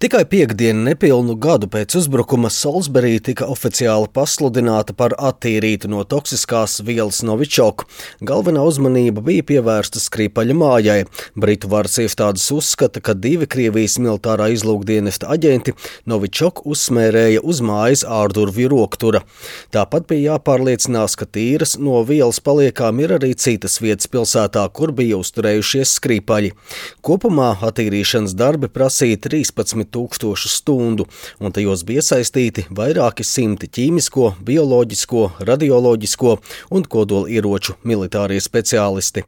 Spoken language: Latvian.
Tikai piektdienu nepilnu gadu pēc uzbrukuma Solsberī tika oficiāli pasludināta par attīrītu no toksiskās vielas Novichok. Galvenā uzmanība bija pievērsta Skripaļa mājai. Britu varas iestādes uzskata, ka 2 Krievijas militārā izlūkdienesta aģenti Novichok uzsmērēja uz mājas ārdurvju roktura. Tāpat bija jāpārliecinās, ka tīras no vielas paliekām ir arī citas vietas pilsētā, kur bija uzturējušies Skripaļi. Kopumā attīrīšanas darbi prasīja 13 000 stundu, un tajos bija iesaistīti vairāki simti ķīmisko, bioloģisko, radioloģisko un kodolieroču militārie speciālisti.